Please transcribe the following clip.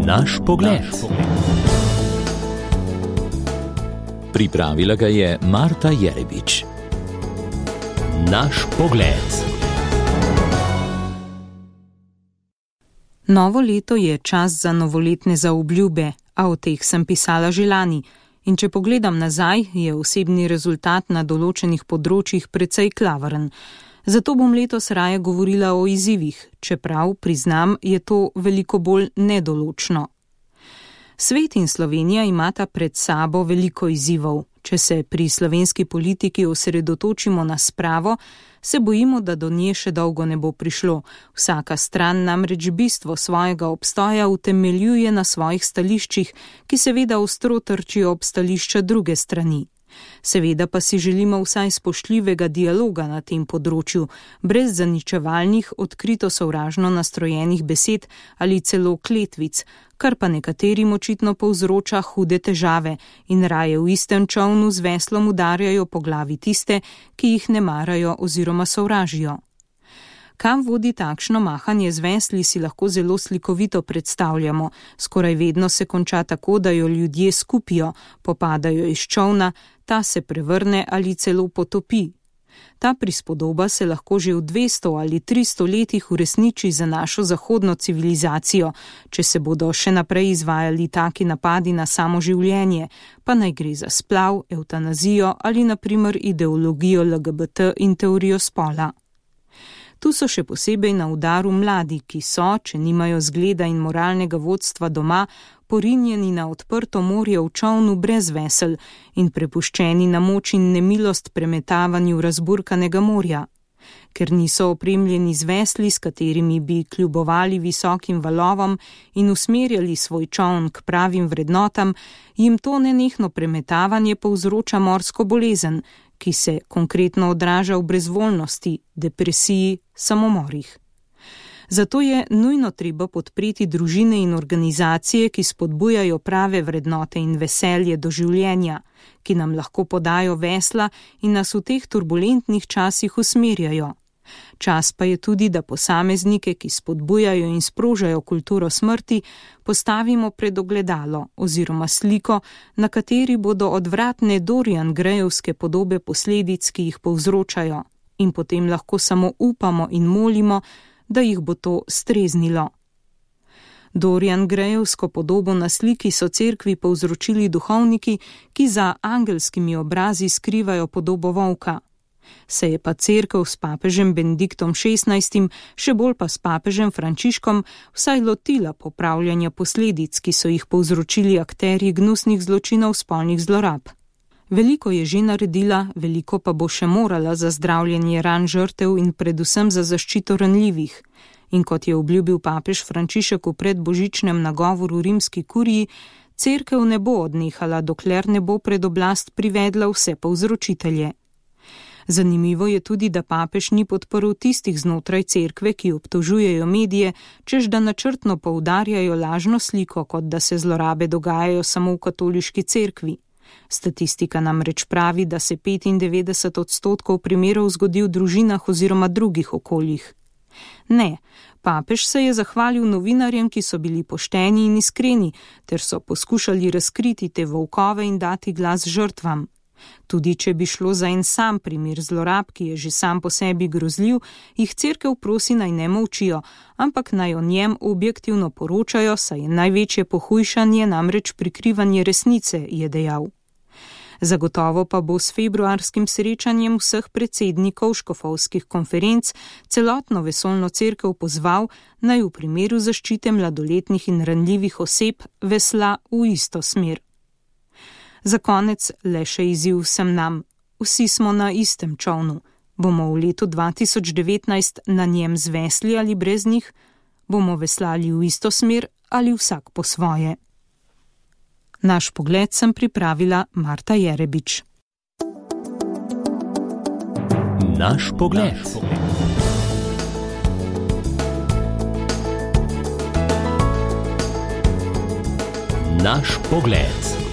Naš pogled. Pripravila ga je Marta Jerebič. Naš pogled. Novo leto je čas za novoletne zaobljube, a o teh sem pisala že lani. In če pogledam nazaj, je osebni rezultat na določenih področjih precej klavaren. Zato bom letos raje govorila o izzivih, čeprav, priznam, je to veliko bolj nedoločno. Svet in Slovenija imata pred sabo veliko izzivov. Če se pri slovenski politiki osredotočimo na spravo, se bojimo, da do nje še dolgo ne bo prišlo. Vsaka stran namreč bistvo svojega obstoja utemeljuje na svojih stališčih, ki seveda ostro trčijo ob stališča druge strani. Seveda pa si želimo vsaj spoštljivega dialoga na tem področju, brez zaničevalnih, odkrito sovražno nastrojenih besed ali celo kletvic, kar pa nekaterim očitno povzroča hude težave in raje v istem čolnu z veslom udarjajo po glavi tiste, ki jih ne marajo oziroma sovražijo. Kam vodi takšno mahanje z vesli, si lahko zelo slikovito predstavljamo. Skoraj vedno se konča tako, da jo ljudje skupijo, popadajo iz čolna, ta se prevrne ali celo potopi. Ta prispodoba se lahko že v 200 ali 300 letih uresniči za našo zahodno civilizacijo, če se bodo še naprej izvajali taki napadi na samo življenje, pa naj gre za splav, evtanazijo ali na primer ideologijo LGBT in teorijo spola. Tu so še posebej na udaru mladi, ki so, če nimajo zgleda in moralnega vodstva doma, porinjeni na odprto morje v čolnu brez vesel in prepuščeni na moč in nemilost premetavanju razburkanega morja. Ker niso opremljeni z vesli, s katerimi bi kljubovali visokim valovom in usmerjali svoj čoln k pravim vrednotam, jim to nenehno premetavanje povzroča morsko bolezen, ki se konkretno odraža v brezvoljnosti, depresiji, samomorih. Zato je nujno treba podpreti družine in organizacije, ki spodbujajo prave vrednote in veselje do življenja, ki nam lahko podajo vesla in nas v teh turbulentnih časih usmerjajo. Čas pa je tudi, da posameznike, ki spodbujajo in sprožajo kulturo smrti, postavimo pred ogledalo oziroma sliko, na kateri bodo odvratne Dorian Grayovske podobe posledic, ki jih povzročajo, in potem lahko samo upamo in molimo, da jih bo to streznilo. Dorian Grayovsko podobo na sliki so cerkvi povzročili duhovniki, ki za angelskimi obrazi skrivajo podobo volka. Se je pa cerkev s papežem Benediktom XVI, še bolj pa s papežem Frančiškom, vsaj lotila popravljanja posledic, ki so jih povzročili akterji gnusnih zločinov spolnih zlorab. Veliko je že naredila, veliko pa bo še morala za zdravljenje ran žrtev in predvsem za zaščito ranljivih. In kot je obljubil papež Frančišek v predbožičnem nagovoru rimski kuriji, cerkev ne bo odnehala, dokler ne bo pred oblast privedla vse povzročitelje. Zanimivo je tudi, da papež ni podprl tistih znotraj cerkve, ki obtožujejo medije, čež da načrtno poudarjajo lažno sliko, kot da se zlorabe dogajajo samo v katoliški cerkvi. Statistika namreč pravi, da se 95% primerov zgodi v družinah oziroma drugih okoljih. Ne, papež se je zahvalil novinarjem, ki so bili pošteni in iskreni, ter so poskušali razkriti te volkove in dati glas žrtvam. Tudi če bi šlo za en sam primer zlorab, ki je že sam po sebi grozljiv, jih cerkev prosi naj ne molčijo, ampak naj o njem objektivno poročajo, saj je največje pohujšanje namreč prikrivanje resnice, je dejal. Zagotovo pa bo s februarskim srečanjem vseh predsednikov škofovskih konferenc celotno vesoljno cerkev pozval, naj v primeru zaščite mladoletnih in ranljivih oseb vesla v isto smer. Za konec le še izziv vsem nam. Vsi smo na istem čolnu. Bomo v letu 2019 na njem z vesli ali brez njih? Bomo veslali v isto smer ali vsak po svoje? Naš pogled sem pripravila Marta Jerebič. Naš pogled. Naš pogled.